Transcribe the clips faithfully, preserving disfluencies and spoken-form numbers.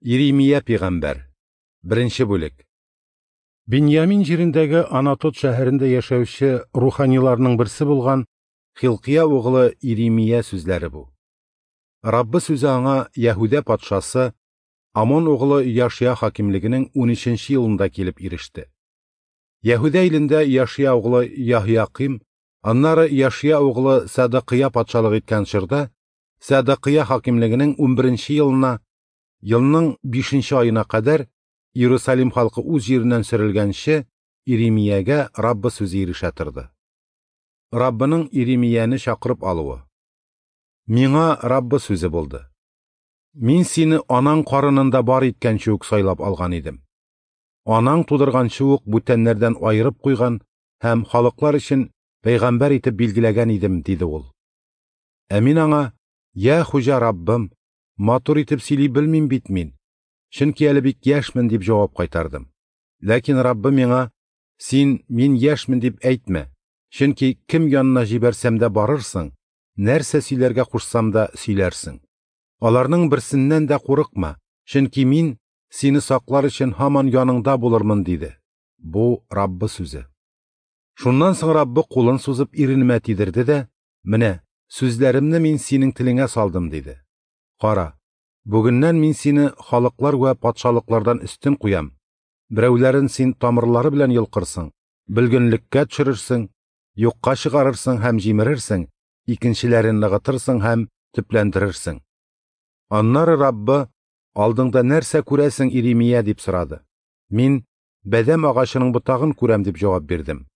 Иремия пәйгамбәр. Беренче бүлек. Биньямин җирендәге Анатот шәһәрендә яшәүче руханиларның берсе булган Хилкия углы Иремия сүзләре бу. Раббы сүзе аңа Яһүдә патшасы Амон углы Яшия хакимлегенең унөченче елында килеп иреште. Яһүдә илендә Яшия углы Яһияким, аннары Яшия углы Садакыя патшалык иткән чорда Садакыя хакимлегенең унберенче елына, елның бишенче аена кадәр Иерусалим халкы үз җиреннән сөрелгәнче Иремиягә Раббы сүзе ирешә торды. Раббының Иремияне чакырып алуы. Миңа Раббы сүзе булды. Мин сине анаң карынында бар иткәнче үк сайлап алган идем. Анаң тудырганчы ук бүтәннәрдән аерып куйган һәм халыклар өчен пәйгамбәр итеп билгеләгән идем, диде ул. Ә мин аңа: "Я Хуҗа Раббым, матур итеп сөйли белмим бит мин, чөнки әле бик яшьмен", дип җавап кайтардым. Ләкин Раббы миңа: "Син мин яшьмен дип әйтмә, чөнки кем янына җибәрсәм дә барырсың, нәрсә сөйләргә кушсам да сөйләрсең. Аларның берсеннән дә курыкма, чөнки мин сине саклар өчен һаман яныңда булырмын", диде. Бу Раббы сүзе. Шуннан соң Раббы кулын сузып иренемә тидерде дә: "Менә, сүзләремне мин синең телеңә салдым", диде. Кара, бүгеннән мин сине халыклар вә патшалыклардан өстен куям. Берәүләрен син тамырлары белән йолкырсың, бөлгенлеккә төшерерсең, юкка чыгарырсың һәм җимерерсең, икенчеләрен ныгытырсың һәм төпләндерерсең. Аннары Раббы: "Алдыңда нәрсә күрәсең, Иремия?" дип сорады. Мин: "Бәдәм агачының ботагын күрәм", дип җавап бирдем.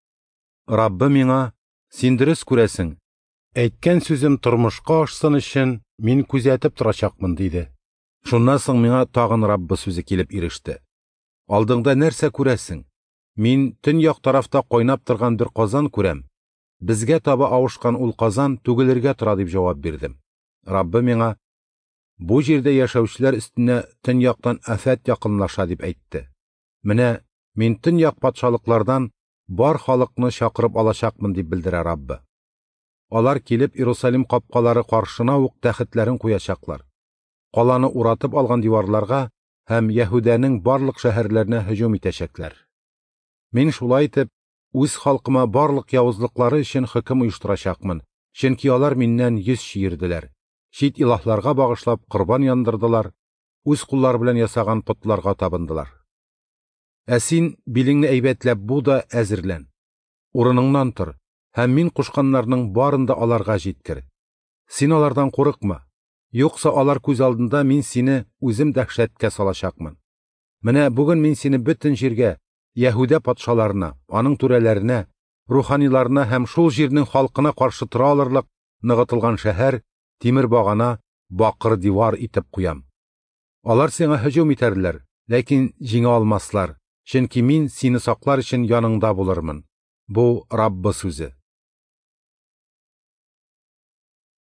Раббы миңа: "Син дөрес күрәсең. Әйткән сүзем тормышка ашсын өчен мин күзәтеп торачакмын", диде. Шуннан соң миңа тагын Раббы сүзе килеп иреште. "Алдыңда нәрсә күрәсең?" Мин төньяк тарафта кайнап торган бер казан күрәм. Безгә таба авышкан ул казан түгелергә тора, дип җавап бирдем. Раббы миңа: "Бу җирдә яшәүчеләр өстенә төньяктан афәт якынлаша", дип әйтте. Менә мин төньяк патшалыклардан бар халыкны чакырып алачакмын, дип белдерә Раббы. Алар килеп Иерусалим капкалары каршына ук тәхетләрен куячаклар. Каланы уратып алган диварларга һәм Яһүдәнең барлык шәһәрләренә һөҗүм итәчәкләр. Мин шулай итеп үз халкыма барлык явызлыклары өчен хөкем оештырачакмын, чөнки алар миннән йөз чөерделәр, чит илаһларга багышлап корбан яндырдылар, үз куллары белән ясаган потларга табындылар. Ә син билеңне әйбәтләп бу да әзерлән. Урыныңнан тор һәм мин кушканнарның барын да аларга җиткер. Син алардан курыкма, юкса алар күз алдында мин сине үзем дәһшәткә салачакмын. Менә бүген мин сине бөтен җиргә, Яһүдә патшаларына, аның түрәләренә, руханиларына һәм шул җирнең халкына каршы тора алырлык ныгытылган шәһәр, тимер багана, бакыр дивар итеп куям. Алар сиңа һөҗүм итәрләр, ләкин җиңә алмаслар, чөнки мин сине саклар өчен яныңда булырмын. Бу Раббы сүзе.